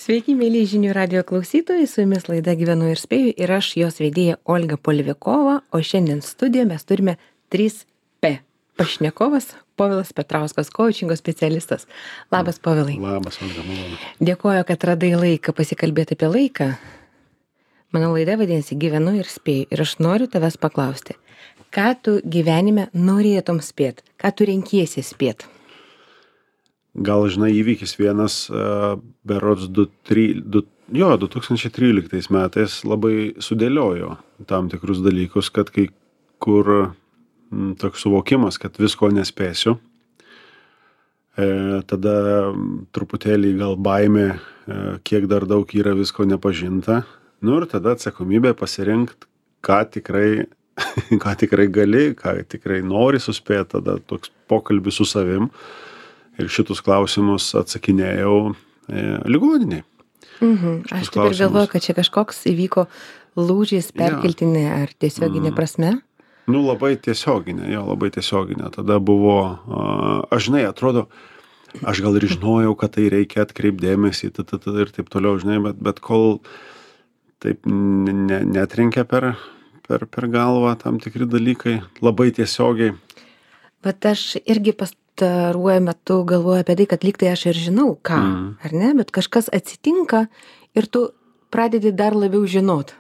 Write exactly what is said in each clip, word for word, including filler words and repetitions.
Sveiki, mėly žinių radio klausytojai, su jumis laida Gyvenu ir spėju ir aš jos vedėja Olga Polivikova, o šiandien studijoje mes turime trys P. Pašnekovas Povilas Petrauskas, coachingo specialistas. Labas, Povilai. Labas, Olga, malonu. Dėkoju, kad radai laiką pasikalbėti apie laiką. Mano laida vadinasi Gyvenu ir spėju ir aš noriu tavęs paklausti, ką tu gyvenime norėtum spėt, ką tu renkiesi spėt? Gal, žinai, įvykis vienas, uh, berods du, tri, du, jo, du tūkstančiai tryliktais metais labai sudėliojo tam tikrus dalykus, kad kai kur m, toks suvokimas, kad visko nespėsiu, e, tada truputėlį gal baimė, e, kiek dar daug yra visko nepažinta, nu ir tada atsakomybė pasirinkti, ką tikrai, ką tikrai gali, ką tikrai nori suspėti, tada toks pokalbis su savim. Ir šitus klausimus atsakinėjau e, ligoniniai. Mhm. Aš taip ir galvoju, kad čia kažkoks įvyko lūžis perkeltinė ja. Ar tiesioginė mm. prasme? Nu, labai tiesioginė, jo, labai tiesioginė. Tada buvo, a, aš žinai, atrodo, aš gal ir žinojau, kad tai reikia atkreipdėmėsi t, t, t, ir taip toliau, žinai, bet, bet kol taip ne, netrenkia per, per, per galvą tam tikri dalykai, labai tiesiogiai. Bet aš irgi pas pastaruoju metu galvoju apie tai, kad lyg tai aš ir žinau, ką, mm. ar ne, bet kažkas atsitinka ir tu pradedi dar labiau žinot.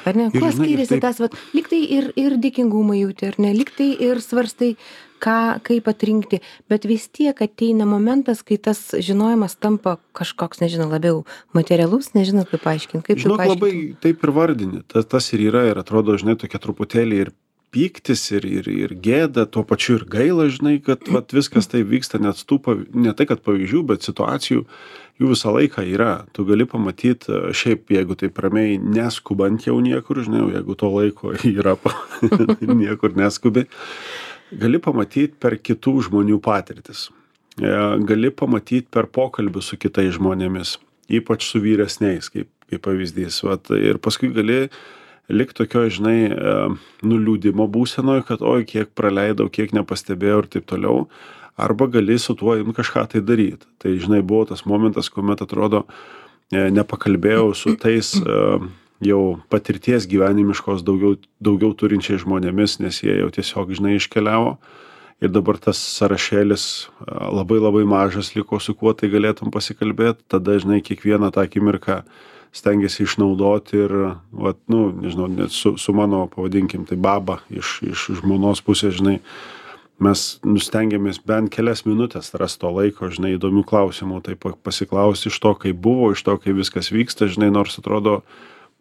Ar ne? Kuo skiriasi taip... tas, vat, lyg tai ir, ir dėkingumą jauti, ar ne, lyg tai ir svarstai, ką, kaip atrinkti, bet vis tiek ateina momentas, kai tas žinojimas tampa kažkoks, nežinau, labiau materialus, nežinau, kaip paaiškinti, kaip Žinok, tu paaiškinti. Labai taip ir vardini, tas, tas ir yra ir atrodo, žinai, tokia truputėlį ir pyktis ir, ir, ir gėda, tuo pačiu ir gaila, žinai, kad vat, viskas tai vyksta, net tų, ne tai, kad pavyzdžių, bet situacijų, jų visą laiką yra. Tu gali pamatyti, šiaip, jeigu taip ramiai neskubant jau niekur, žinai, jeigu to laiko yra, niekur neskubi, gali pamatyti per kitų žmonių patirtis. Gali pamatyti per pokalbių su kitais žmonėmis, ypač su vyresniais, kaip, kaip pavyzdys. Vat, ir paskui gali lik tokio, žinai, nuliūdimo būsenoje, kad oi, kiek praleidau, kiek nepastebėjau ir taip toliau, arba gali su tuo jums kažką tai daryti. Tai, žinai, buvo tas momentas, kuomet atrodo, nepakalbėjau su tais jau patirties gyvenimiškos daugiau, daugiau turinčiai žmonėmis, nes jie jau tiesiog, žinai, iškeliavo. Ir dabar tas sąrašėlis labai labai mažas liko, su kuo tai galėtum pasikalbėti, tada, žinai, kiekvieną tą akimirką stengiasi išnaudoti ir, vat, nu, nežinau, net su, su mano, pavadinkim, tai baba iš, iš žmonos pusės, žinai, mes nustengiamės bent kelias minutės rasti to laiko, žinai, įdomių klausimų, tai pasiklausti iš to, kaip buvo, iš to, kaip viskas vyksta, žinai, nors atrodo,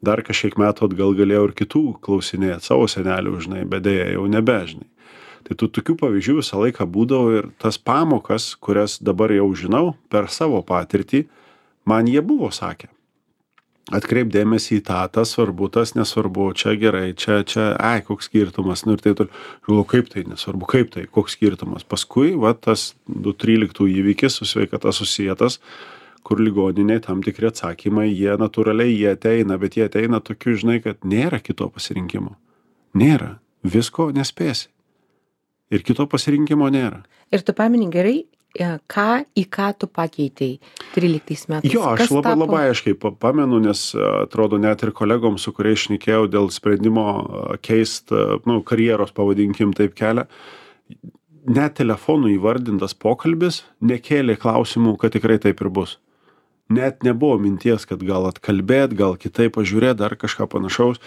dar kažkiek metų atgal galėjau ir kitų klausinėti savo senelių, žinai, bet dėja jau nebe, žinai. Tai tų tokių pavyzdžių visą laiką būdavo ir tas pamokas, kurias dabar jau žinau per savo patirtį, man jie buvo sakę. Atkreip dėmesį į tą, tas svarbu, tas nesvarbu, čia gerai, čia, čia, ai, koks skirtumas, nu ir tai toliau. Žinau, kaip tai nesvarbu, kaip tai, koks skirtumas. Paskui, va, tas du tryliktų įvykis su sveikata susietas, kur ligoniniai tam tikri atsakymai, jie natūraliai, jie ateina, bet jie ateina tokiu, žinai, kad nėra kito pasirinkimo. Nėra. Visko nespėsi. Ir kito pasirinkimo nėra. Ir tu pamini gerai, ką, į ką tu pakeitei tryliktais metais? Jo, aš Kas labai, tapo? labai aiškiai pamenu, nes atrodo net ir kolegom, su kuriais šnekėjau dėl sprendimo keist, nu, karjeros, pavadinkim taip kelią, net telefonų įvardintas pokalbis nekėlė klausimų, kad tikrai taip ir bus. Net nebuvo minties, kad gal atkalbėt, gal kitaip pažiūrėt, dar kažką panašaus.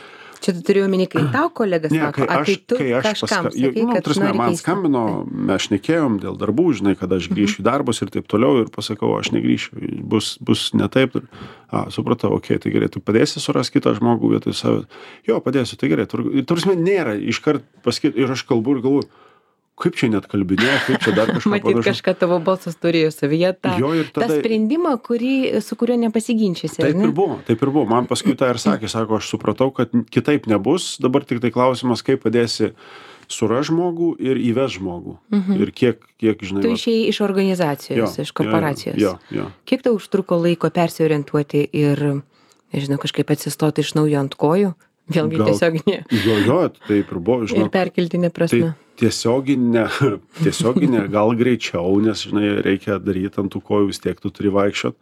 Čia tu turiu omeny, kai tau kolegas Ne, sako, kai ar aš, tai tu kai aš kažkam paska... sakai, nu, kad prasme, nori man keisti? skambino, mes šnekėjom dėl darbų, žinai, kad aš grįšiu į darbus ir taip toliau ir pasakau, aš negrįšiu, bus, bus ne taip. Ir, a, supratau, okei, okay, tai gerai, tu padėsi surasti kitą žmogų vietoj savęs. Jo, padėsiu, tai gerai. Tur, prasme, nėra iškart pasakyti ir aš kalbu ir galvoju, kaip čia net kalbinė, kaip čia dar kažką Matyt, panašaus. kažką tavo balsas turėjo savyje tą, Jo, ir tada- tą sprendimą, kurį, su kuriuo nepasiginčysi. ar Taip ne? ir buvo, taip ir buvo. Man paskui tą ir sakė, sako, aš supratau, kad kitaip nebus. Dabar tik tai klausimas, kaip padėsi surast žmogų ir įves žmogų. Ir kiek, kiek žinai. Tu vat- išėjai iš organizacijos, Jo, iš korporacijos. Jo, jo, jo. Kiek tau užtruko laiko persiorientuoti ir, nežinau, kažkaip atsistoti iš naujo ant kojų? Vėlgi Gal- tiesioginė Jo, jo, taip ir buvo, ir žinok. perkeltinė prasme. Tai tiesioginė, tiesioginė gal greičiau, nes, žinai, reikia daryti ant tų kojų, vis tiek tu turi vaikščiot.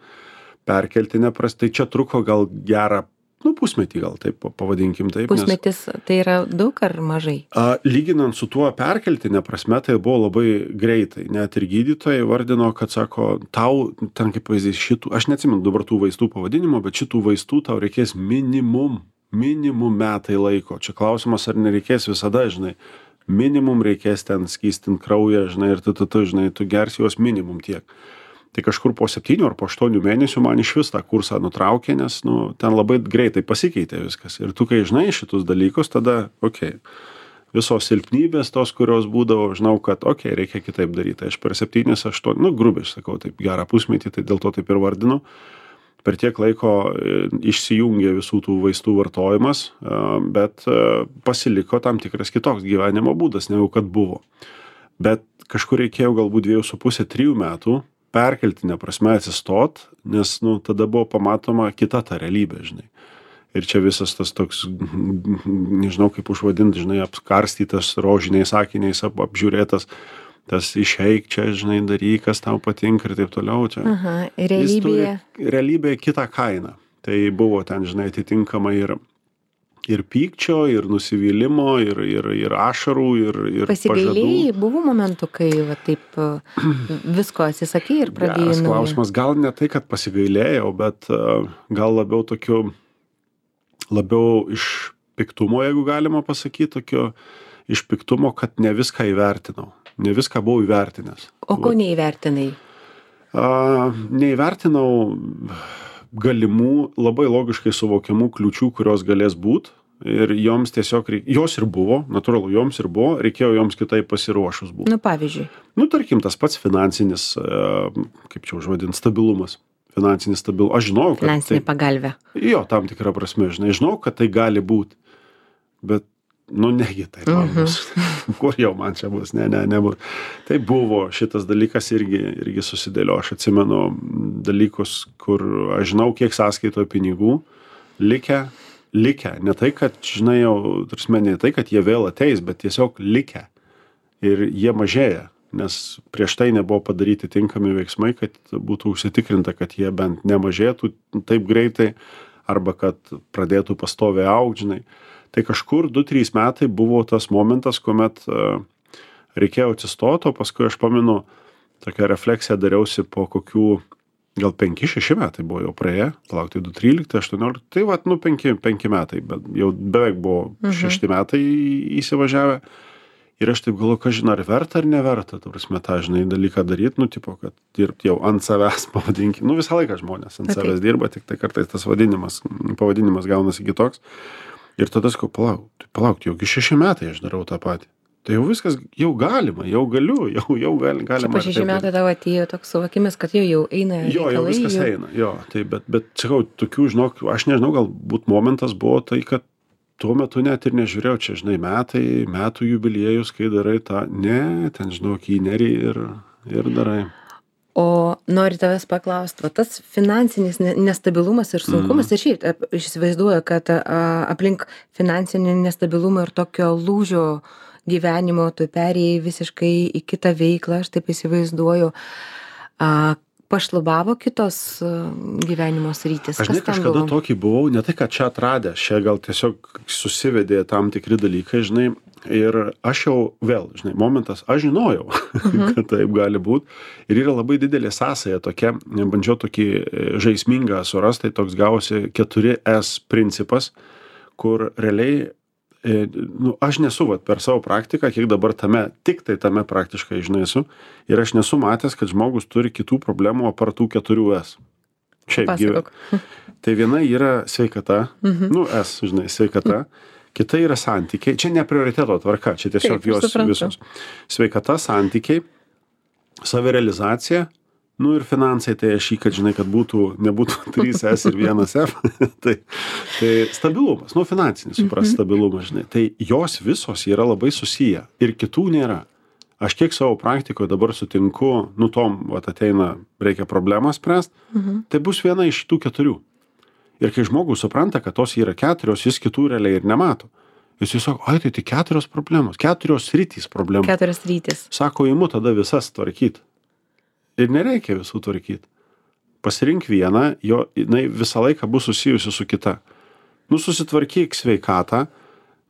perkeltine prasme, tai čia truko gal gerą, nu, pusmetį gal taip pavadinkim taip. Pusmetis nes, tai yra daug ar mažai? A, lyginant su tuo perkeltinė prasme, tai buvo labai greitai. Net ir gydytojai vardino, kad sako, tau, ten kaip pavyzdys, šitų, aš neatsimenu dabar tų vaistų pavadinimo, bet šitų vaistų tau reikės minimum, minimum metai laiko. Čia klausimas, ar nereikės visada, žinai, minimum reikės ten skystinti kraują, žinai, ir tu, tu, tu, žinai, tu gersi juos minimum tiek. Tai kažkur po septynių ar po aštuonių mėnesių man iš vis tą kursą nutraukė, nes, nu, ten labai greitai pasikeitė viskas. Ir tu, kai žinai šitus dalykus, tada, okei, okay, visos silpnybės tos, kurios būdavo, žinau, kad, okei, okay, reikia kitaip daryti. Aš per septynis, aštuonis, nu, grubiai, sakau, taip gerą pusmetį, tai dėl to taip ir vardinu. Per tiek laiko išsijungė visų tų vaistų vartojimas, bet pasiliko tam tikras kitoks gyvenimo būdas, negu kad buvo. Bet kažkur reikėjo galbūt dviejų su pusė, trijų metų perkeltinė prasme atsistot, nes, nu, tada buvo pamatoma kita ta realybė, žinai. Ir čia visas tas toks, nežinau kaip užvadinti, žinai, apkarstytas rožiniais akiniais, ap, apžiūrėtas, tas išeik čia, žinai, daryk, kas tau patinka ir taip toliau. Čia. Aha, realybėje. Realybėje kitą kainą. Tai buvo ten, žinai, atitinkamai ir ir pykčio, ir nusivylimo, ir, ir, ir ašarų, ir, ir pasigailėjai, buvo momentų, kai va, taip visko atsisakei ir pradėjai naują. Klausimas, gal ne tai, kad pasigailėjau, bet uh, gal labiau tokiu, labiau iš piktumo, jeigu galima pasakyti, tokio iš piktumo, kad ne viską įvertinau, ne viską buvau įvertinęs. O ko neįvertinai? Uh, neįvertinau galimų, labai logiškai suvokiamų kliūčių, kurios galės būt. Ir joms tiesiog, reik... jos ir buvo, natūralu, joms ir buvo, reikėjo joms kitaip pasiruošus būti. Nu, pavyzdžiui. Nu, tarkim, tas pats finansinis, kaip čia užvadint, stabilumas. Finansinis stabilumas. Aš žinau, kad... Finansinė tai... pagalvė. Jo, tam tikrą prasme, žinai, žinau, kad tai gali būti. Bet, nu, negi tai man bus. Mm-hmm. Kur jau man čia bus? Ne, ne, nebus. Tai buvo, šitas dalykas irgi, irgi susidėlio. Aš atsimenu dalykus, kur aš žinau, kiek sąskaitoje pinigų likę. Likę, ne tai, kad, žinai, jau, tarsi, ne tai, kad jie vėl ateis, bet tiesiog likę. Ir jie mažėja, nes prieš tai nebuvo padaryti tinkami veiksmai, kad būtų užsitikrinta, kad jie bent nemažėtų taip greitai, arba kad pradėtų pastoviai augti, žinai. Tai kažkur du trys metai buvo tas momentas, kuomet uh, reikėjo atsistoti, o paskui aš pamenu, tokią refleksiją dariausi po kokių gal penki šeši metai buvo jau praėję, palaukti du trylikti aštuoniolikti, tai vat, nu, penki metai, bet jau beveik buvo mhm. šešti metai įsivažiavę. Ir aš taip galvoju, kažin, ar verta ar neverta, ta prasme, tą, žinai, dalyką daryti, nu, tipo, kad dirbti jau ant savęs, pavadinkim, nu, visą laiką žmonės ant savęs dirba, tik tai kartais tas vadinimas, pavadinimas gaunasi kitoks. Ir tada sakau, palauk, tai palauk, jau šeši metai aš darau tą patį. Tai jau viskas, jau galima, jau galiu, jau, jau gal, galima. Po šeši metai tavo atėjo toks suvokimas, kad jau, jau eina reikalai. Jo, jau viskas jau... eina, jo, tai bet, bet, sakau, tokių, žinok, aš nežinau, galbūt momentas buvo tai, kad tuo metu net ir nežiūrėjau, čia, žinai, metai, metų jubiliejus, kai darai tą, ne, ten, žinok, įnerį ir, ir darai. O noriu tavęs paklausti, va tas finansinis nestabilumas ir sunkumas, mm. ir šiaip, aš įsivaizduoju, kad a, aplink finansinį nestabilumą ir tokio lūžio gyvenimo, tu perėjai visiškai į kitą veiklą, aš taip įsivaizduoju, a, pašlubavo kitos a, gyvenimo sritis. Aš ne kažkada tokį buvau, ne tai, kad čia atradęs, čia gal tiesiog susivedė tam tikri dalykai, žinai, ir aš jau vėl, žinai, momentas, aš žinojau, uh-huh. kad taip gali būti, ir yra labai didelė sąsaja tokia, bandžiau tokį žaismingą surasti, tai toks gavosi keturi S principas, kur realiai nu, aš nesu vat, per savo praktiką, kiek dabar tame, tik tai tame praktiškai, žinai, esu, ir aš nesu matęs, kad žmogus turi kitų problemų apart tų keturių S. Šiaip gyvena. Tai viena yra sveikata, mhm. nu, S, žinai, sveikata, kita yra santykiai, čia ne prioriteto tvarka, čia tiesiog Taip, jos visos. Sveikata, santykiai, savirealizacija, nu ir finansai, tai aš jį, kad žinai, kad būtų, nebūtų trys S ir vienas F, tai, tai stabilumas, nu finansinis, supras, stabilumas, žinai, tai jos visos yra labai susiję ir kitų nėra. Aš kiek savo praktikoje dabar sutinku, nu tom, vat ateina, reikia problemą spręst, mhm. tai bus viena iš tų keturių. Ir kai žmogus supranta, kad tos yra keturios, jis kitų realiai ir nemato. Jis tiesiog, ai, tai tik keturios problemos, keturios sritys problemos. Keturios sritys. Sako, imu tada visas tvarkyti. Ir nereikia visų tvarkyti. pasirink vieną, jo, jinai visą laiką bus susijusi su kita. Nu, susitvarkyk sveikatą,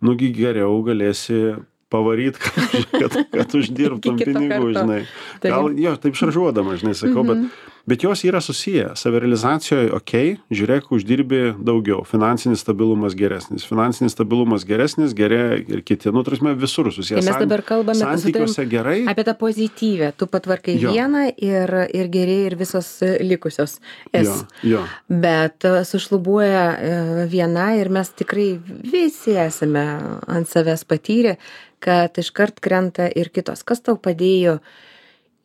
nugi geriau galėsi pavaryt, kad, kad, kad uždirbtum pinigų, žinai. Gal, jo, taip šaržuodama, žinai, sakau, mm-hmm. bet, bet jos yra susiję. Savirealizacijoje, okei, okay, žiūrėk, uždirbi daugiau. Finansinis stabilumas geresnis. Finansinis stabilumas geresnis, gerėja ir kiti. Nu, tarsi visur susiję. Tai mes dabar kalbame santykiuose gerai. Apie tą pozityvę. Tu patvarkai jo. vieną ir, ir gerėja ir visos likusios es. Jo, jo. Bet sušlubuoja viena ir mes tikrai visi esame ant savęs patyrę, kad iškart krenta ir kitos. Kas tau padėjo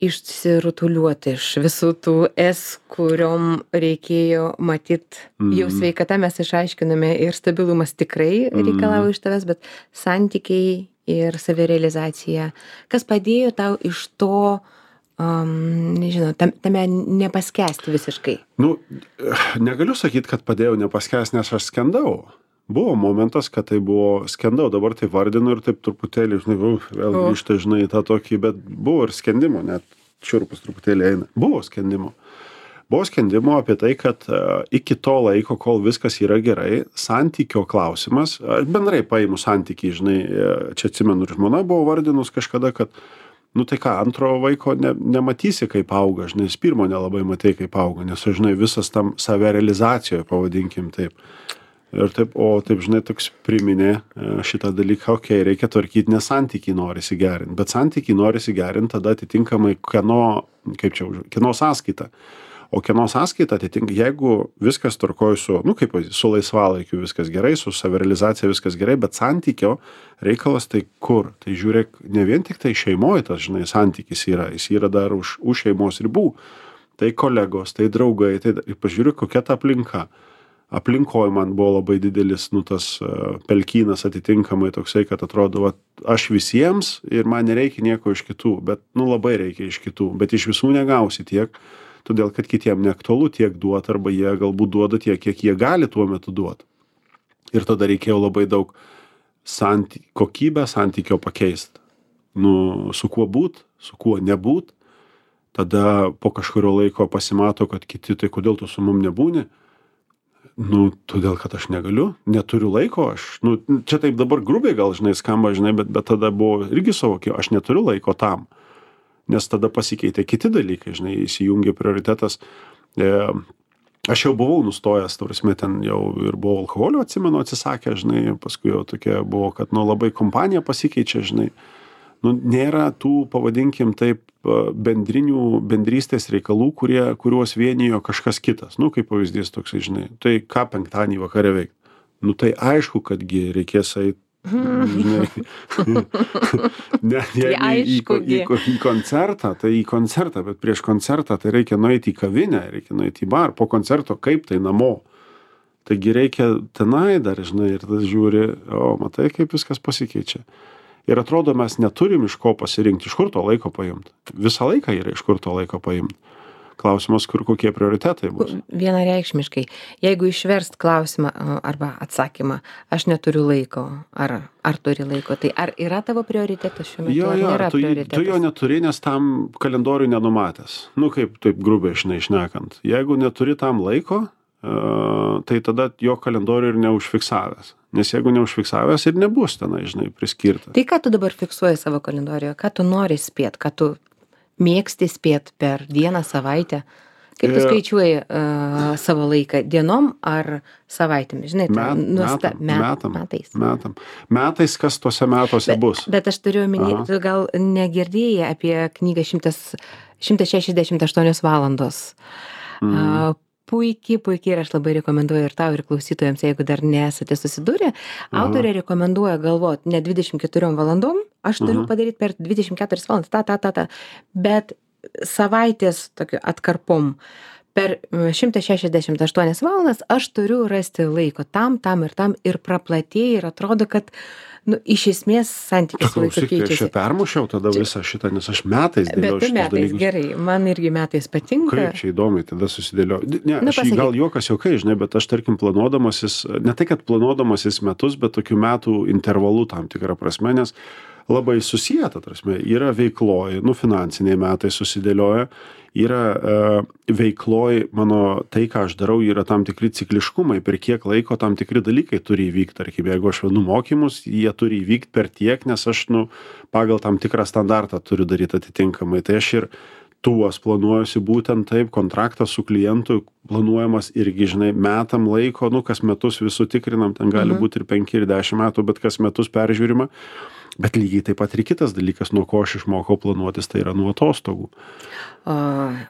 išsirutuliuoti iš visų tų es, kuriom reikėjo matyt, mm. jau sveikata mes išaiškiname ir stabilumas tikrai reikalavo mm. iš tavęs, bet santykiai ir savirealizacija. Kas padėjo tau iš to, um, nežinau, tam, tame nepaskęsti visiškai? Nu, negaliu sakyti, kad padėjau nepaskęsti, nes aš skendau. Buvo momentas, kad tai buvo skendau, dabar tai vardinu ir taip truputėlį, žinai, uf, vėl grįžta, žinai, tą tokį, bet buvo ir skendimo, net šiurpus truputėlį eina. Buvo skendimo. Buvo skendimo apie tai, kad uh, iki to laiko, kol viskas yra gerai, santykio klausimas, bendrai paimu santykį, žinai, čia atsimenu ir žmona buvo vardinus kažkada, kad, nu tai ką, antro vaiko ne, nematysi, kaip auga, žinai, pirmo nelabai matai, kaip auga, nes, žinai, visas tam savirealizacijoje, pavadinkim taip. Ir taip, o taip, žinai, toks priminė šitą dalyką, okei, okay, reikia tvarkyti, nes santykiai norisi gerinti, bet santykiai norisi gerinti tada atitinkamai kieno, kaip čia, kieno sąskaita. O kieno sąskaita atitinka, jeigu viskas tvarkoja su, nu kaip, su laisvalaikiu viskas gerai, su savirealizacija viskas gerai, bet santykio reikalas tai kur? Tai žiūrėk, ne vien tik tai šeimoje tas, žinai, santykis yra, jis yra dar už, už šeimos ribų. Tai kolegos, tai draugai, tai pažiūrėk, kokia ta aplinka. Aplinkoj man buvo labai didelis, nu, tas uh, pelkynas atitinkamai toksai, kad atrodo, va, aš visiems ir man nereikia nieko iš kitų, bet, nu, labai reikia iš kitų, bet iš visų negausi tiek, todėl, kad kitiem neaktualu tiek duoti, arba jie galbūt duoda tiek, kiek jie gali tuo metu duoti. Ir tada reikėjo labai daug santy... kokybę santykio pakeisti. Nu, su kuo būt, su kuo nebūt. Tada po kažkurio laiko pasimato, kad kiti, tai kodėl tu su mum nebūni? Nu, todėl, kad aš negaliu, neturiu laiko, aš, nu, čia taip dabar grubiai gal, žinai, skamba, žinai, bet, bet tada buvo irgi suvokė, aš neturiu laiko tam, nes tada pasikeitė kiti dalykai, žinai, įsijungė prioritetas. E, aš jau buvau nustojęs, tarsi, ten jau ir buvau alkoholio, atsimenu, atsisakę, žinai, paskui jau tokia buvo, kad, nu, labai kompanija pasikeičia, žinai, nu, nėra tų, pavadinkim taip, bendrinių, bendrystės reikalų, kurie, kuriuos vienijo kažkas kitas. Nu, kaip pavyzdys toksai, žinai, tai ką penktadienį vakare veikti? Nu, tai aišku, kadgi reikės eiti, žinai, ne, jeigu į, į, į, į koncertą, tai į koncertą, bet prieš koncertą tai reikia nueiti į kavinę, reikia nueiti į bar, po koncerto kaip tai namo. Taigi reikia tenai dar, žinai, ir tas žiūri, o matai, kaip viskas pasikeičia. Ir atrodo, mes neturim iš ko pasirinkti, iš kur to laiko paimti. Visą laiką yra iš kur to laiko paimti. Klausimas, kur kokie prioritetai bus. Vienareikšmiškai. Jeigu išverst klausimą arba atsakymą, aš neturiu laiko, ar, ar turi laiko, tai ar yra tavo prioritetas šiuo metu, jo, jo, ar nėra tu, prioritetas? Tu jo neturi, nes tam kalendoriui nenumatęs. Nu, kaip taip grubiai, žinai, šnekant. Jeigu neturi tam laiko, uh, tai tada jo kalendorių ir neužfiksavęs. Nes jeigu neužfiksavęs ir nebus tenai, žinai, priskirta. Tai ką tu dabar fiksuoji savo kalendorijoje? Ką tu nori spėt? Ką tu mėgsti spėt per dieną, savaitę? Kaip tu skaičiuoji uh, savo laiką? Dienom ar savaitėmis? Žinai, Met, nuosta, metam, met, metam, metais. Metam. Metais, kas tuose metuose bet, bus. Bet aš turiu omeny, tu gal negirdėjai apie knygą šimtas šešiasdešimt aštuonios valandos. Mm. Uh, Puikiai, puikiai ir aš labai rekomenduoju ir tau, ir klausytojams, jeigu dar nesate susidūrę. Autorė rekomenduoja galvoti ne dvidešimt keturiom valandom, aš turiu Aha. padaryti per dvidešimt keturias valandas, ta, ta, ta, ta, bet savaitės tokiu atkarpom. Per šimtas šešiasdešimt aštuonias valandas aš turiu rasti laiko tam, tam ir tam ir praplatėja ir atrodo, kad nu, iš esmės santykis su laiku keičiasi. Aš čia permušiau tada čia... visą šitą, nes aš metais dėliau šitus metais, dalykus. Gerai, man irgi metais patinka. Kaip čia įdomiai tada susidėliau. Ne, nu, aš jį gal juokas juokai, žinai, bet aš tarkim planuodamasis, ne tai, kad planuodamasis metus, bet tokių metų intervalų tam tikrą prasme, nes labai susieta, tarsi, yra veikloj, nu, finansiniai metai susidėlioja, yra e, veikloj mano tai, ką aš darau, yra tam tikri cikliškumai, per kiek laiko tam tikri dalykai turi įvykti, tarkim, jeigu aš vedu mokymus, jie turi įvykti per tiek, nes aš, nu, pagal tam tikrą standartą turiu daryti atitinkamai, tai aš ir tuos planuojuosi būtent taip, kontraktas su klientu planuojamas irgi, žinai, metam laiko, nu, kas metus visų tikrinam, ten gali mhm. būti ir penki, ir dešimt metų, bet kas metus peržiūrima. Bet lygiai taip pat ir kitas dalykas, nuo ko aš išmokau planuotis, tai yra nuo atostogų. O,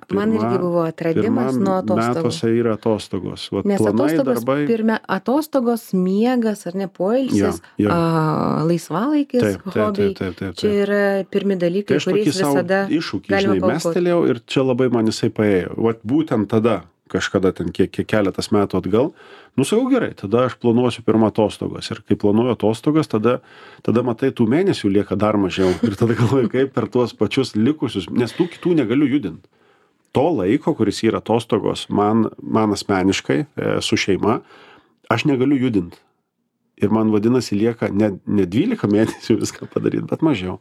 pirma, man irgi buvo atradimas nuo atostogų. Metuose yra atostogos. Vat Nes planai, atostogos, darbai... pirmia, atostogos, miegas, ar ne, poilsis, ja, ja. A, laisvalaikis, taip, taip, hobiai. Taip, taip, taip, taip. Čia yra pirmi dalykai, tai kuriais visada iššūkį, žinai, mestelėjau ir čia labai man jisai paėjo. Vat būtent tada, kažkada ten kiek, kiek keletas metų atgal, nusakau gerai, tada aš planuosiu pirmą atostogas ir kai planuoju atostogas, tada, tada matai, tų mėnesių lieka dar mažiau ir tada galvoju, kaip per tuos pačius likusius, nes tų kitų negaliu judinti. To laiko, kuris yra atostogos, man, man asmeniškai e, su šeima, aš negaliu judinti. Ir man vadinasi lieka ne, ne dvylika mėnesių viską padaryti, bet mažiau.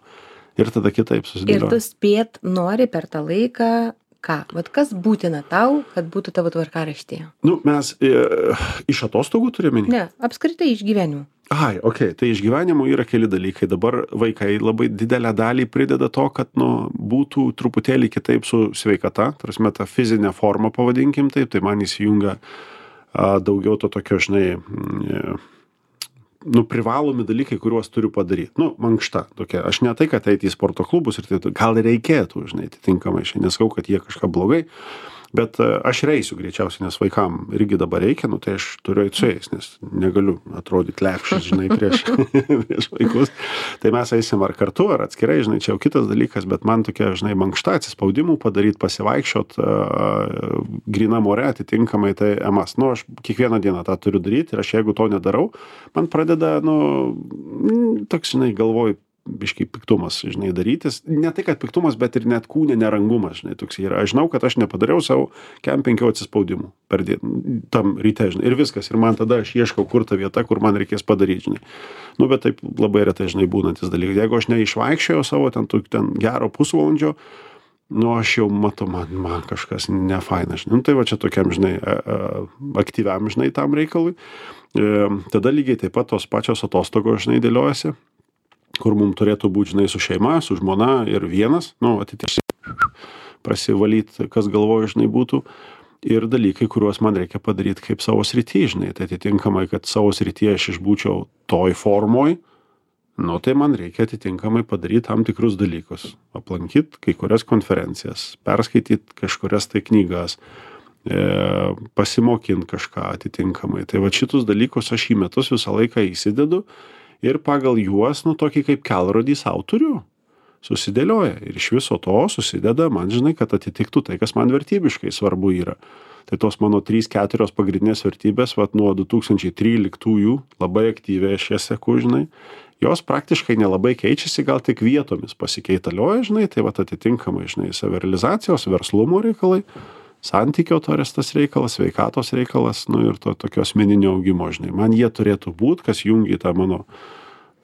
Ir tada kitaip susidėlioja. Ir tu spėt nori per tą laiką ką? Vat kas būtina tau, kad būtų tavo tvarkaraštyje? Nu, mes e, iš atostogų turime? Ne, apskritai iš gyvenimo. Ai, okei, okay. Tai iš gyvenimo yra keli dalykai. Dabar vaikai labai didelę dalį prideda to, kad, nu, būtų truputėlį kitaip su sveikata, tarsi ta fizinė forma, pavadinkim taip, tai man įsijungia a, daugiau to tokio, žinai, e, nu, privalomi dalykai, kuriuos turiu padaryti. Nu, mankšta tokia. Aš ne tai, kad eiti į sporto klubus ir tai gal reikėtų, žinai, atitinkamai. Aš neskau, kad jie kažką blogai, bet aš reisiu greičiausiai, nes vaikam irgi dabar reikia, nu, tai aš turiu eiti su jais, nes negaliu atrodyti lepšas, žinai, prieš, prieš vaikus. Tai mes eisim ar kartu, ar atskirai, žinai, čia jau kitas dalykas, bet man tokia, žinai, mankšta atsispaudimų padaryti, pasivaikščiot uh, gryna more atitinkamai, tai emas. Nu, aš kiekvieną dieną tą turiu daryti ir aš jeigu to nedarau, man pradeda, nu, toks, žinai, galvoju, biškai piktumas, žinai, darytis. Ne tai, kad piktumas, bet ir net kūne nerangumas, žinai, toks yra. Aš žinau, kad aš nepadariau savo kem penkių atsispaudimų per dieną, tam ryte, žinai, ir viskas. Ir man tada aš ieškau, kur ta vieta, kur man reikės padaryti, žinai. Nu, bet taip labai retai, žinai, būnantis dalykas. Jeigu aš neišvaikščiojau savo ten, ten gero pusvalandžio, nu, aš jau matau, man, man kažkas nefaina, žinai. Nu, tai va čia tokiam, žinai, aktyviam, žinai, tam reikalui. E, tada lygiai taip pat tos pačios atostogos, žinai, dėliojasi, kur mums turėtų būti, žinai, su šeima, su žmona ir vienas, nu, atitinkamai prasivalyti, kas galvoja, žinai, būtų. Ir dalykai, kuriuos man reikia padaryti kaip savo srity, žinai. Tai atitinkamai, kad savo srityje aš išbūčiau toj formoj, nu, tai man reikia atitinkamai padaryti tam tikrus dalykus. Aplankyti kai kurias konferencijas, perskaityti kažkurias tai knygas, e, pasimokinti kažką atitinkamai. Tai va šitus dalykus aš į metus visą laiką įsidedu. Ir pagal juos, nu, tokį kaip kelrodį sau turiu, susidėlioja. Ir iš viso to susideda, man, žinai, kad atitiktų tai, kas man vertybiškai svarbu yra. Tai tos mano trys keturios pagrindinės vertybės, vat nuo du tūkstančiai tryliktųjų labai aktyviai aš jas seku, žinai, jos praktiškai nelabai keičiasi, gal tik vietomis pasikeitalioja, žinai, tai vat atitinkamai, žinai, savirealizacijos, verslumo reikalai, santykio tas reikalas, sveikatos reikalas, nu ir to tokio asmeninio augimo, žinai. Man jie turėtų būti, kas jungia tą mano,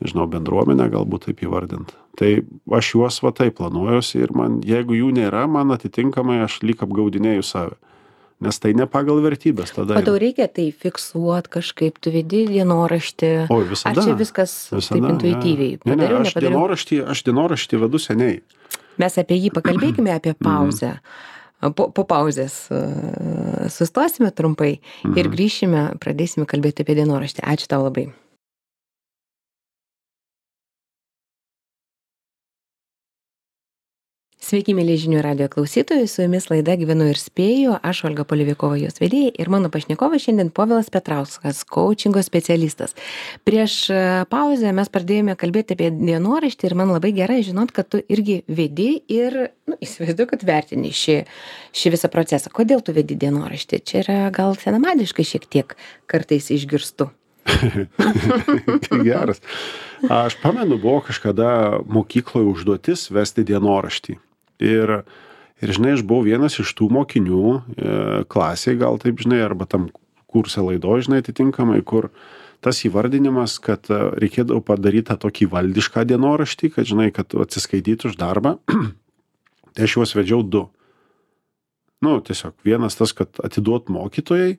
nežinau, bendruomenę, galbūt taip įvardint. Tai aš juos va taip planuojuosi ir man, jeigu jų nėra, man atitinkamai aš lyg apgaudinėju save. Nes tai ne pagal vertybės tada. O tau reikia tai fiksuot kažkaip, tu vedi dienoraštį. O, visada. Ar čia viskas visada, taip intuityviai? Ja. Ne, ne, padariau, aš dienoraštį, aš dienoraštį vedu seniai. Mes apie jį pakalbėkime, apie pauzę. Po, po pauzės uh, sustosime trumpai mhm. ir grįšime, pradėsime kalbėti apie dienoraštį. Ačiū tau labai. Sveiki, mėly žinių radijo klausytojai, su jumis laida Gyvenu ir spėju, aš Olga Polivikova, jos vedėja ir mano pašnekovas šiandien Povilas Petrauskas, coachingo specialistas. Prieš pauzę mes pradėjome kalbėti apie dienoraštį ir man labai gerai žinot, kad tu irgi vedi ir, nu, įsivaizduoju, kad vertini šį, šį visą procesą. Kodėl tu vedi dienoraštį? Čia yra gal senamadiškai šiek tiek kartais išgirstu. Geras. Aš pamenu, buvo kažkada mokykloje užduotis vesti dienoraštį. Ir, ir, žinai, aš buvau vienas iš tų mokinių e, klasėje, gal taip, žinai, arba tam kurse laidoje, žinai, atitinkamai, kur tas įvardinimas, kad reikėdavo padaryti tokį valdišką dienoraštį, kad žinai, kad atsiskaityti už darbą, tai aš juos vedžiau du. Nu, tiesiog vienas tas, kad atiduot mokytojai,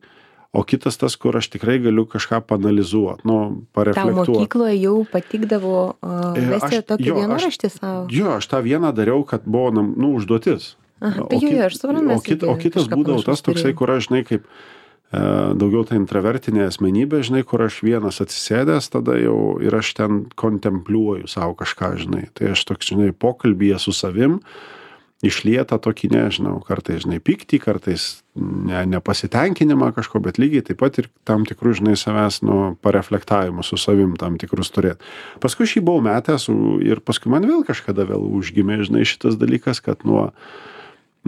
o kitas tas, kur aš tikrai galiu kažką panalizuoti, nu, pareflektuoti. Tau mokykloje jau patikdavo uh, vesti tokį dienoraštį savo? Jo, aš tą vieną dariau, kad buvo, nu, užduotis. Aha, tai jo, jo, aš suprantu. O, kit, o kitas būdavo tas toksai, kur aš, žinai, kaip e, daugiau ta intravertinė asmenybė, žinai, kur aš vienas atsisėdęs tada jau ir aš ten kontempliuoju savo kažką, žinai. Tai aš toks, žinai, pokalbyje su savim išlieta tokį, nežinau, kartais, žinai, pyktį, kartais ne, nepasitenkinimą kažko, bet lygiai taip pat ir tam tikrų, žinai, savęs, nu, pareflektavimų su savim tam tikrus turėti. Paskui šį buvau metęs ir paskui man vėl kažkada vėl užgimė, žinai, šitas dalykas, kad nuo,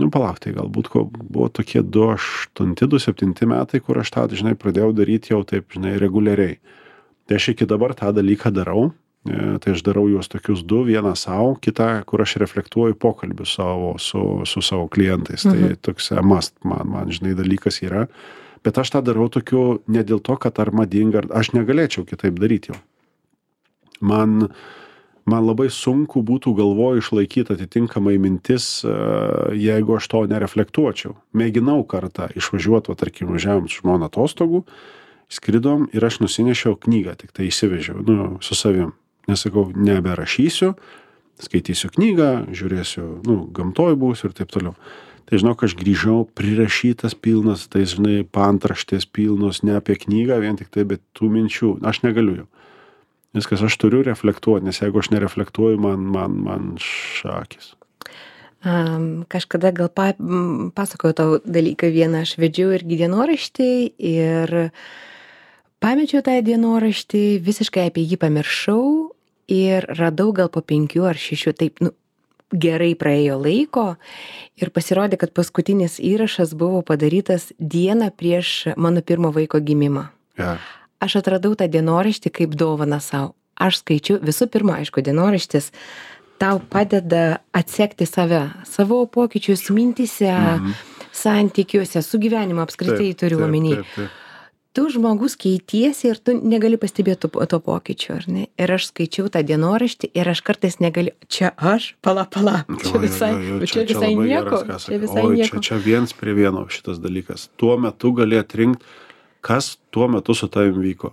nu, palauk, tai galbūt buvo tokie du aštunti, du septinti metai, kur aš tą, žinai, pradėjau daryti jau taip, žinai, reguliariai. Tai aš iki dabar tą dalyką darau. Tai aš darau juos tokius du, vieną savo, kitą, kur aš reflektuoju pokalbių savo, su, su savo klientais. Mhm. Tai toks must man, man, žinai, dalykas yra. Bet aš tą darau tokiu ne dėl to, kad ar madinga, ar aš negalėčiau kitaip daryti jau. Man, man labai sunku būtų galvoje išlaikyti atitinkamai mintis, jeigu aš to nereflektuočiau. Mėginau kartą išvažiuoti, tarkim, važiavom su žmona atostogų, skridom ir aš nusinešiau knygą, tik tai įsivežiau, nu, su savim. Nesakau, neberašysiu, skaitysiu knygą, žiūrėsiu, nu, gamtoj būsiu ir taip toliau. Tai žinok, aš grįžau prirašytas pilnas, tai žinai, paantraštės pilnos, ne apie knygą vien tik tai, bet tų minčių. Aš negaliu jau. Viskas, aš turiu reflektuoti, nes jeigu aš nereflektuoju, man, man, man šakis. Um, kažkada gal pa, pasakoju tau dalyką vieną, aš vedžiau irgi dienoraštį ir pamečiau tą dienoraštį, visiškai apie jį pamiršau ir radau gal po penkių ar šešių, taip, nu, gerai praėjo laiko ir pasirodė, kad paskutinis įrašas buvo padarytas dieną prieš mano pirmo vaiko gimimą. Ja. Aš atradau tą dienoraštį kaip dovaną savo. Aš skaičiu, visų pirma, aišku, dienoraštis tau padeda atsekti save, savo pokyčius mintyse, mhm. santykiuose, su gyvenimu apskritai taip, turiu omeny. Taip, taip, taip. Tu žmogus keitiesi ir tu negali pastebėti to, to pokyčio, ar ne? Ir aš skaičiau tą dienoraštį ir aš kartais negaliu, čia aš, pala, pala, čia visai, jo, jo, jo, čia, čia visai čia nieko. Geras, čia visai Oi, nieko. Čia, čia viens prie vieno šitas dalykas. Tuo metu gali atrinkti, kas tuo metu su tavim vyko.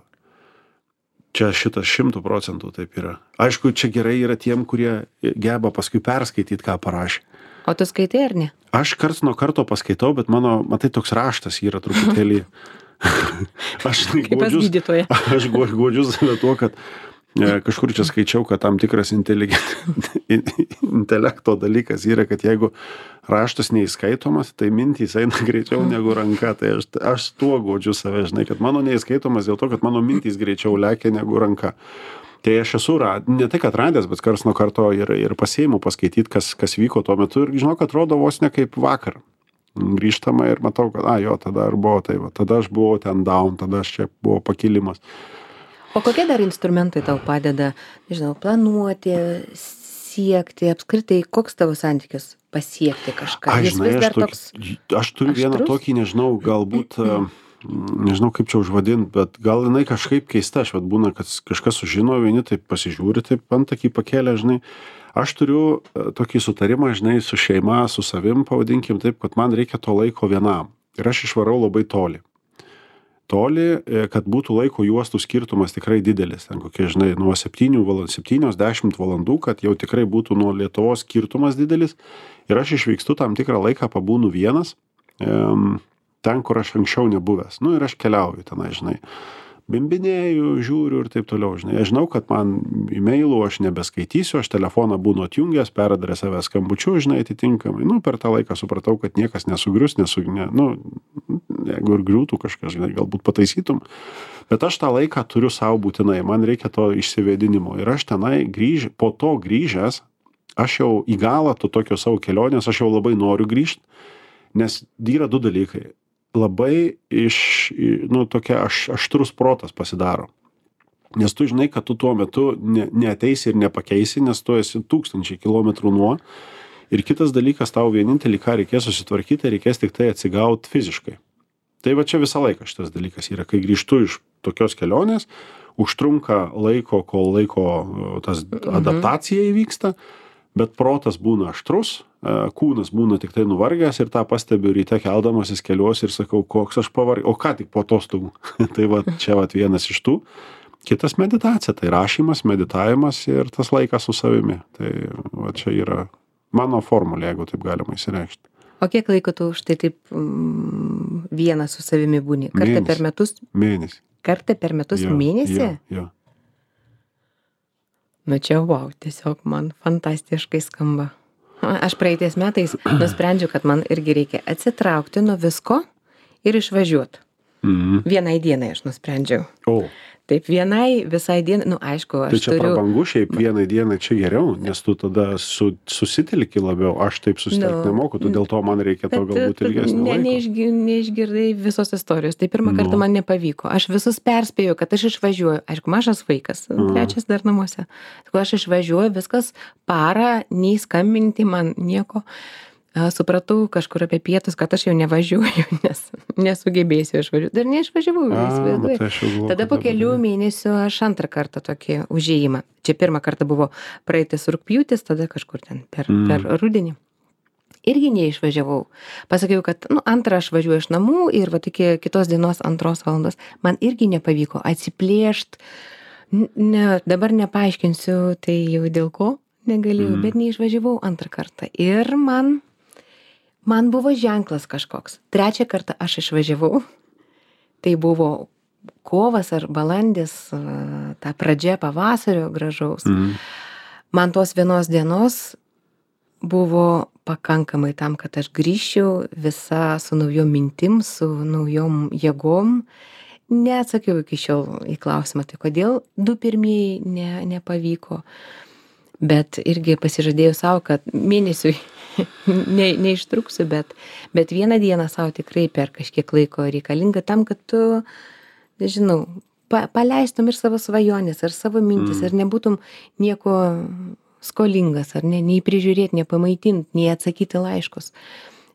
Čia šitas šimtų procentų taip yra. Aišku, čia gerai yra tiem, kurie geba paskui perskaityti, ką parašė. O tu skaitai ar ne? Aš karts nuo karto paskaitau, bet mano, matai, toks raštas yra truputėlį. Aš godžius, aš godžius save tuo, kad e, kažkur čia skaičiau, kad tam tikras intelekto dalykas yra, kad jeigu raštas neįskaitomas, tai mintys eina greičiau negu ranka. Tai aš, aš tuo godžiu save, žinai, kad mano neįskaitomas dėl to, kad mano mintys greičiau lekia negu ranka. Tai aš esu, ne tai kad radęs, bet karts nuo karto ir, ir pasiimu paskaityti, kas, kas vyko tuo metu ir žinau, kad atrodo vos ne kaip vakar. Grįžtama ir matau, kad, a, jo, tada ir buvo tai, va, tada aš buvau ten down, tada aš čia buvo pakilimas. O kokie dar instrumentai tau padeda, nežinau, planuoti, siekti, apskritai, koks tavo santykis pasiekti kažką? Aš, žinai, aš, toks, aš turiu aštrus? Vieną tokį, nežinau, galbūt, nežinau kaip čia užvadinti, bet gal jinai kažkaip keista, aš vat būna, kad kažkas sužino, vieni taip pasižiūri, taip antakį pakėlė, žinai. Aš turiu tokį sutarimą, žinai, su šeima, su savim, pavadinkim taip, kad man reikia to laiko vienam. Ir aš išvarau labai toli. Toli, kad būtų laiko juostų skirtumas tikrai didelis. Ten kokie, žinai, nuo septynių valandų, septynios dešimt valandų, kad jau tikrai būtų nuo Lietuvos skirtumas didelis. Ir aš išvykstu tam tikrą laiką, pabūnu vienas, ten, kur aš anksčiau nebuvęs. Nu ir aš keliauju tenai, žinai. Bimbinėju, žiūriu ir taip toliau, žinai. Aš žinau, kad man e-mailų aš nebeskaitysiu, aš telefoną būnu atjungęs, peradresavęs skambučiu, žinai, atitinkamai. Nu, per tą laiką supratau, kad niekas nesugrius, nesu, ne, nu, jeigu ir griūtų kažkas, žinai, galbūt pataisytum. Bet aš tą laiką turiu savo būtinai, man reikia to išsivėdinimo. Ir aš tenai grįž, po to grįžęs, aš jau į galą to tokio savo kelionės, aš jau labai noriu grįžti, nes yra du dalykai. Labai iš, nu, tokia aš, aštrus protas pasidaro. Nes tu žinai, kad tu tuo metu ne, neateisi ir nepakeisi, nes tu esi tūkstančiai kilometrų nuo. Ir kitas dalykas, tau vienintelį, ką reikės susitvarkyti, reikės tik tai atsigauti fiziškai. Tai va čia visą laiką šitas dalykas yra, kai grįžtu iš tokios kelionės, užtrunka laiko, kol laiko tas adaptacija įvyksta, bet protas būna aštrus, kūnas būna tik tai nuvargęs ir tą pastebiu ryte keldamasis keliuosi ir sakau, koks aš pavargęs, o ką tik po atostogų. Tai va, čia va vienas iš tų. Kitas meditacija, tai rašymas, meditavimas ir tas laikas su savimi. Tai va čia yra mano formulė, jeigu taip galima įsireikšti. O kiek laiko tu už tai taip mm, vienas su savimi būni? Kartą Mėnesį. per metus? Mėnesį. Kartą per metus Jo, mėnesį? Jo, jo. Nu čia wow, tiesiog man fantastiškai skamba. Aš praeitais metais nusprendžiau, kad man irgi reikia atsitraukti nuo visko ir išvažiuoti. Mhm. Vienai dienai aš nusprendžiau. O, Taip, vienai visai dienai, nu aišku, aš tai čia turiu... prabangu šiaip vienai dienai čia geriau, nes tu tada su, susitelki labiau, aš taip susitelkti Nu, nemoku, tu dėl to man reikia to Bet galbūt tu ilgesnio ne, laiko. neišgi, neišgirdai visos istorijos. Tai pirmą kartą Nu. man nepavyko. Aš visus perspėjau, kad aš išvažiuoju. Aišku, mažas vaikas, trečias dar namuose. Sakau, aš išvažiuoju, viskas parą, nei skambinti man nieko. A, Supratau kažkur apie pietus, kad aš jau nevažiuoju, nes nesugebėsiu išvažiuoti. Dar neišvažiavau, A, įsivaizduoji. bet aš jau galvoju, Tada kad po dabar kelių jau. mėnesių aš antrą kartą tokį užėjimą. Čia pirmą kartą buvo praeitis rugpjūtis, tada kažkur ten per, Mm. per rudenį. Irgi neišvažiavau. Pasakiau, kad nu, antrą aš važiuoju iš namų ir va iki kitos dienos antros valandos. Man irgi nepavyko atsiplėšt. N- Ne, dabar nepaaiškinsiu, tai jau dėl ko negalėjau, Mm. bet neišvažiavau antrą kartą. Ir man, man buvo ženklas kažkoks. Trečią kartą aš išvažiavau. Tai buvo kovas ar balandis, a, ta pradžia pavasario gražaus. Mhm. Man tos vienos dienos buvo pakankamai tam, kad aš grįžčiau visa su naujom mintim, su naujom jėgom. Neatsakiau iki šiol į klausimą, tai kodėl du pirmieji ne, nepavyko. Bet irgi pasižadėjau savo, kad mėnesiui ne, neištruksiu, bet, bet vieną dieną savo tikrai per kažkiek laiko reikalinga tam, kad tu, nežinau, pa, paleistum ir savo svajonės, ar savo mintis, Mm. ar nebūtum nieko skolingas, ar ne, nei prižiūrėti, nei pamaitinti, nei atsakyti laiškus.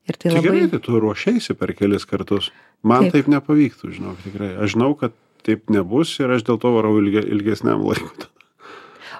Ir tai Tai labai... gerai, tai tu ruošiaisi per kelis kartus. Man Taip. taip nepavyktų, žinok, tikrai. Aš žinau, kad taip nebus ir aš dėl to varau ilge, ilgesniam laikui.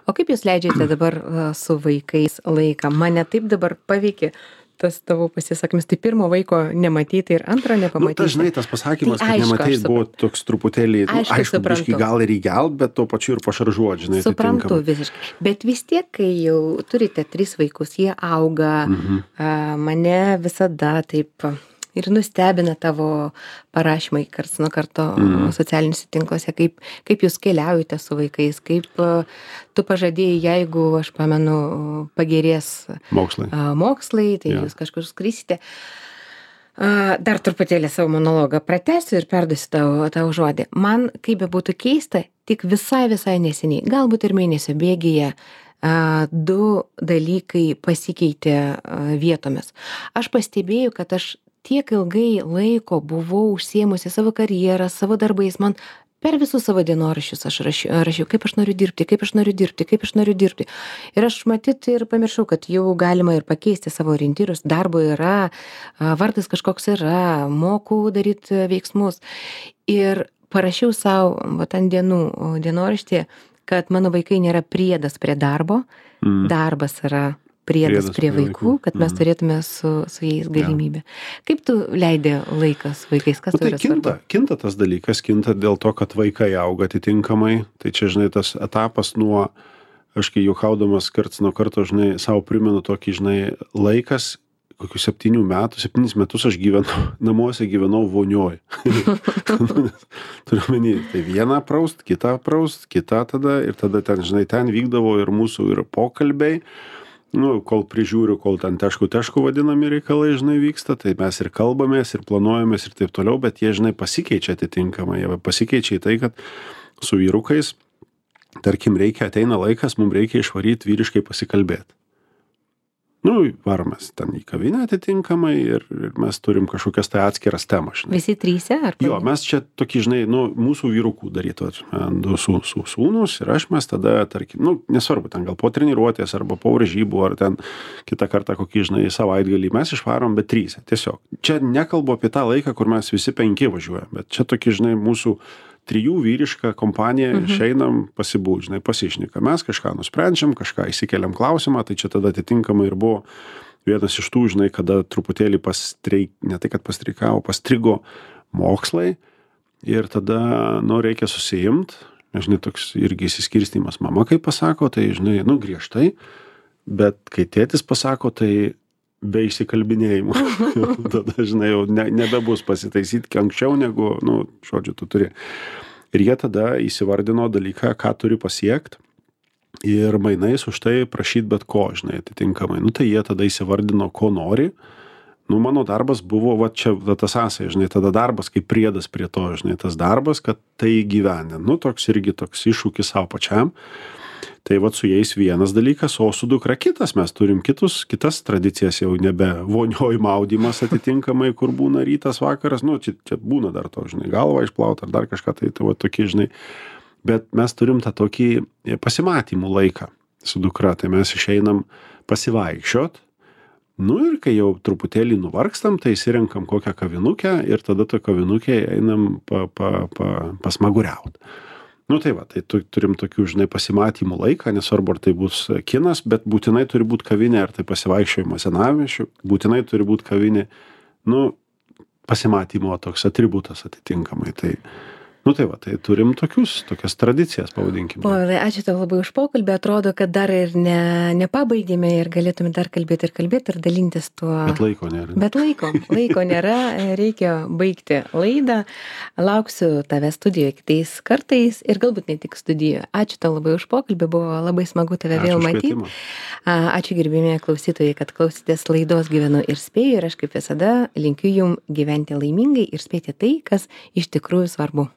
O kaip jūs leidžiate dabar a, su vaikais laiką? Mane taip dabar paveikė tas tavo pasisakymas. Tai pirmo vaiko nematyti ir antro Nu, nepamatyti. tas, žinai, tas pasakymas, Tai kad aišku, nematai, aš suprantu. buvo toks truputėlį, nu, Aišku, aišku, biškį suprantu. gal ir įgelt, bet tuo pačiu ir pašaržuot, žinai, Suprantu atitinkamai. visiškai. Bet vis tiek, kai jau turite tris vaikus, jie auga, Mhm. a, mane visada taip ir nustebina tavo parašymai karts nuo karto Mhm. socialiniuose tinkluose, kaip, kaip jūs keliaujate su vaikais, kaip a, tu pažadėjai, jeigu, aš pamenu, pagerės Mokslai. a, mokslai, tai Jo. jūs kažkur skrisite. A, Dar truputėlį savo monologą pratęsiu ir perduosiu tau, tau žodį. Man, kaip be būtų keista, tik visai, visai neseniai, galbūt ir mėnesio bėgyje, a, du dalykai pasikeitė a, vietomis. Aš pastebėjau, kad aš tiek ilgai laiko buvau užsiėmusi savo karjerą, savo darbais, man per visus savo dienoraščius aš rašiau, rašiau, kaip aš noriu dirbti, kaip aš noriu dirbti, kaip aš noriu dirbti. Ir aš matyt ir pamiršau, kad jau galima ir pakeisti savo orientyrus, darbo yra, a, vardas kažkoks yra, moku daryti veiksmus. Ir parašiau savo, va, ant dienų o, dienoraštį, kad mano vaikai nėra priedas prie darbo, Mm. darbas yra priedas, Priedas prie prie vaikų, vaikų. kad mes Mhm. turėtume su, su jais galimybę. Kaip tu leidi laiką su vaikais? Kas Nu, tau tai yra kinta, svarbu? kinta tas dalykas, kinta dėl to, kad vaikai auga atitinkamai. Tai čia, žinai, tas etapas nuo, aš kai juokaudamas karts nuo karto, žinai, savo primenu tokį, žinai, laikas, kokių septynių metų, septynis metus aš gyvenau, namuose gyvenau vonioj. Turiu menį, tai vieną praust, kitą praust, kitą tada ir tada ten, žinai, ten vykdavo ir mūsų ir pokalbiai. Nu, kol prižiūriu, kol ten tešku tešku vadinami reikalai, žinai, vyksta, tai mes ir kalbamės, ir planuojamės, ir taip toliau, bet jie, žinai, pasikeičia atitinkamai. Jie pasikeičia į tai, kad su vyrukais, tarkim, reikia, ateina laikas, mums reikia išvaryti vyriškai pasikalbėti. Nu, varomės ten į kavinę atitinkamai ir, ir mes turim kažkokias tai atskiras temas, žinai. Visi tryse? Ar Jo, pavieniai? mes čia tokį, žinai, nu, mūsų vyrukų darytų, du su, su sūnus ir aš mes tada, tarkim, nu, nesvarbu, ten gal po treniruotės arba po varžybų ar ten kitą kartą kokį, žinai, savaitgalį mes išvarom, bet tryse, tiesiog. Čia nekalbu apie tą laiką, kur mes visi penki važiuojam, bet čia tokį, žinai, mūsų trijų vyriška kompanija išeinam pasibūt, žinai, pasišnekam. Mes kažką nusprendžiam, kažką įsikeliam klausimą, tai čia tada atitinkamai ir buvo vienas iš tų, žinai, kada truputėlį pastreik, ne tai, kad pastreikavo, pastrigo mokslai ir tada, nu, reikia susiimt, žinai, toks irgi įsiskirstymas. Mama, kai pasako, tai, žinai, nu, griežtai, bet kai tėtis pasako, tai be įsikalbinėjimų. Tada, žinai, jau ne, nebebus pasitaisyti anksčiau negu, nu, žodžiu, tu turi. Ir jie tada įsivardino dalyką, ką turi pasiekti ir mainais už tai prašyti bet ko, žinai, atitinkamai. Nu, tai jie tada įsivardino, ko nori. Nu, mano darbas buvo, va čia va, tas sąsaja, žinai, tada darbas kaip priedas prie to, žinai, tas darbas, kad tai gyvenė. Nu, toks irgi toks iššūkis savo pačiam. Tai vat su jais vienas dalykas, o su dukra kitas. Mes turim kitus, kitas tradicijas, jau nebe vonioj maudymas atitinkamai, kur būna rytas, vakaras. Nu, čia, čia būna dar to, žinai, galvą išplaut ar dar kažką, tai tai va tokie, žinai. Bet mes turim tą tokį pasimatymų laiką su dukra. Tai mes išeinam pasivaikščiot. Nu ir kai jau truputėlį nuvargstam, tai įsirenkam kokią kavinukę ir tada to kavinukė einam pa, pa, pa, pasmaguriaut. Nu tai va, tai tu, turim tokių, žinai, pasimatymų laiką, nesvarbu, ar tai bus kinas, bet būtinai turi būti kavinė, ar tai pasivaikščiojimas senamiesčiu, būtinai turi būti kavinė, nu, pasimatymo toks atributas atitinkamai. Tai, nu tai va, tai turim tokius, tokias tradicijas, pavadinkime. Povilai, ačiū tau labai už pokalbį, atrodo, kad dar ir ne, nepabaigėme ir galėtume dar kalbėti ir kalbėti ir dalintis tuo. Bet laiko nėra. Bet laiko, laiko nėra, reikia baigti laidą. Lauksiu tave studijoje kitais kartais ir galbūt ne tik studijoje. Ačiū tau labai už pokalbį, buvo labai smagu tave Ačiū vėl už matyti. kvietimą. Ačiū gerbimieji klausytojai, kad klausėtės laidos Gyvenu ir spėju ir aš kaip visada linkiu jums gyventi laimingai ir spėti tai, kas iš tikrųjų svarbu.